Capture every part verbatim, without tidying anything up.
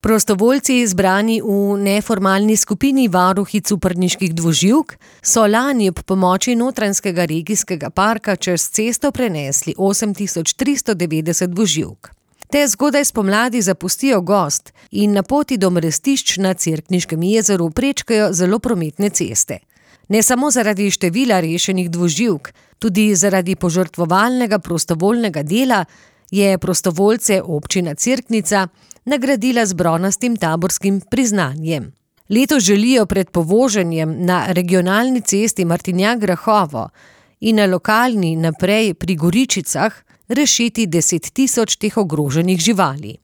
Prostovoljci, zbrani v neformalni skupini varuhic Cuprniških dvoživk, so lani ob pomoči Notranjskega regijskega parka čez cesto prenesli osem tisoč tristo devetdeset dvoživk. Te zgodaj spomladi zapustijo gozd in na poti do mrestišč na Cerkniškem jezeru prečkajo zelo prometne ceste. Ne samo zaradi števila rešenih dvoživk, tudi zaradi požrtvovalnega prostovoljnega dela je prostovoljce občina Cerknica nagradila z bronastim taborskim priznanjem. Letos želijo pred povoženjem na regionalni cesti Martinjak-Grahovo in na lokalni naprej pri Goričicah rešiti deset tisoč teh ogroženih živali.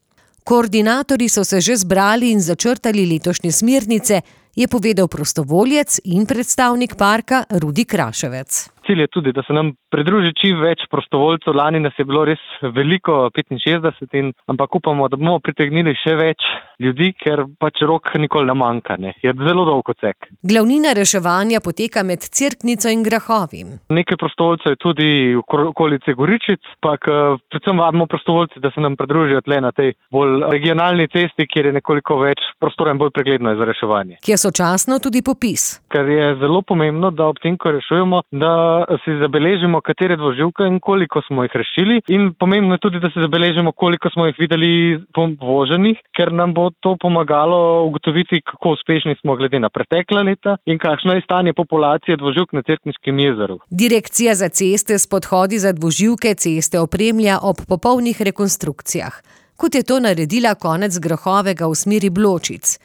Koordinatorji so se že zbrali in začrtali letošnje smernice, je povedal prostovoljec in predstavnik parka Rudi Kraševec. Cilj je tudi, da se nam pridruži čim več prostovoljcev. Lani nas je bilo res veliko, petinšestdeset, in, ampak upamo, da bomo pritegnili še več ljudi, ker pač rok nikoli ne manjka. Ne. Je zelo dolg odsek. Glavnina reševanja poteka med Cerknico in Grahovim. Nekaj prostovoljcev je tudi v okolici Goričic, pa predvsem vabimo prostovoljci, da se nam pridružijo tle na tej bolj regionalni cesti, kjer je nekoliko več prostora in bolj pregledno je za reševanje. Ki je sočasno tudi popis. Ker je zelo pomembno, da ob tem, ko rešujemo, da si zabeležimo, katere dvoživke in koliko smo jih rešili, in pomembno je tudi, da si zabeležimo, koliko smo jih videli povoženih, ker nam bo to pomagalo ugotoviti, kako uspešni smo glede na pretekla leta in kakšno je stanje populacije dvoživk na Cerkniškem jezeru. Direkcija za ceste s podhodi za dvoživke ceste opremlja ob popolnih rekonstrukcijah, kot je to naredila konec Grahovega v smeri Bločic.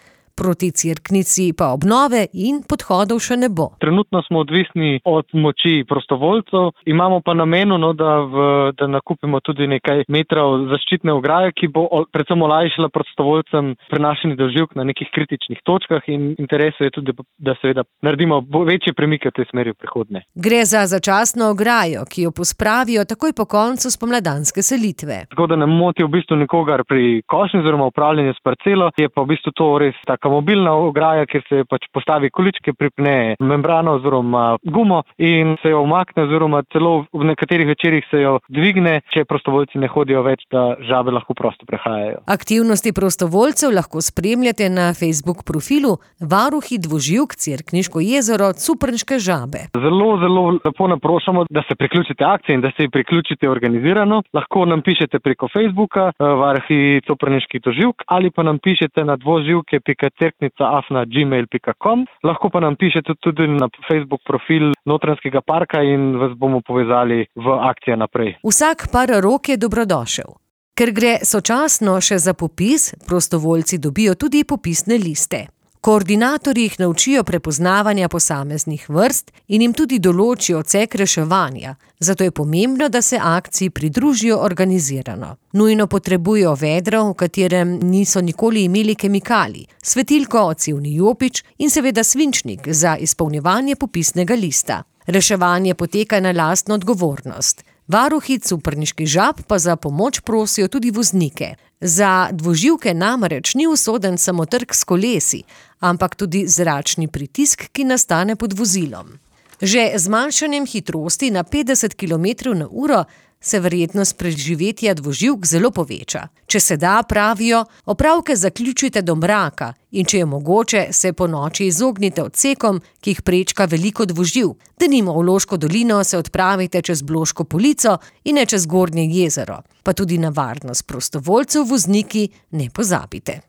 Proti Cerknici pa obnove in podhodov še ne bo. Trenutno smo odvisni od moči prostovoljcev, imamo pa namenu, no, da, v, da nakupimo tudi nekaj metrov zaščitne ograje, ki bo predvsem olajšala prostovoljcem prenašanje dvoživk na nekih kritičnih točkah, in interes je tudi, da seveda naredimo večje premike v tej smeri v prihodnje. Gre za začasno ograjo, ki jo pospravijo takoj po koncu spomladanske selitve. Tako da ne moti v bistvu nikogar pri košnji oziroma upravljanju s parcelo, je pa v bistvu to res taka mobilna ograja, kjer se pač postavi količke, pripne membrano oziroma gumo in se jo umakne, oziroma celo v nekaterih večerih se jo dvigne, če prostovoljci ne hodijo več, da žabe lahko prosto prehajajo. Aktivnosti prostovoljcev lahko spremljate na Facebook profilu Varuhi dvoživk Cerkniško jezero Cuprniške žabe. Zelo, zelo lepo naprošamo, da se priključite akciji in da se priključite organizirano. Lahko nam pišete preko Facebooka Varuhi Cuprniških dvoživk ali pa nam pišete na dvoživke pika cerknica afna gmail pika com. Lahko pa nam pišete tudi na Facebook profil Notranjskega parka in vas bomo povezali v akcijo naprej. Vsak par rok je dobrodošel. Ker gre sočasno še za popis, prostovoljci dobijo tudi popisne liste. Koordinatorji jih naučijo prepoznavanja posameznih vrst in jim tudi določijo odsek reševanja, zato je pomembno, da se akciji pridružijo organizirano. Nujno potrebujejo vedro, v katerem niso nikoli imeli kemikalij, svetilko, odsevni jopič in seveda svinčnik za izpolnjevanje popisnega lista. Reševanje poteka na lastno odgovornost. Varuhi Cuprniških žab pa za pomoč prosijo tudi voznike. Za dvoživke namreč ni usoden samo trk s kolesi, ampak tudi zračni pritisk, ki nastane pod vozilom. Že z zmanjšanjem hitrosti na petdeset kilometrov na uro se verjetnost preživetja dvoživk zelo poveča. Če se da, pravijo, opravke zaključite do mraka in če je mogoče, se po noči izognite odsekom, ki jih prečka veliko dvoživk. Denimo v Loško dolino se odpravite čez Bloško polico in ne čez Gornje jezero. Pa tudi na varnost prostovoljcev vozniki ne pozabite.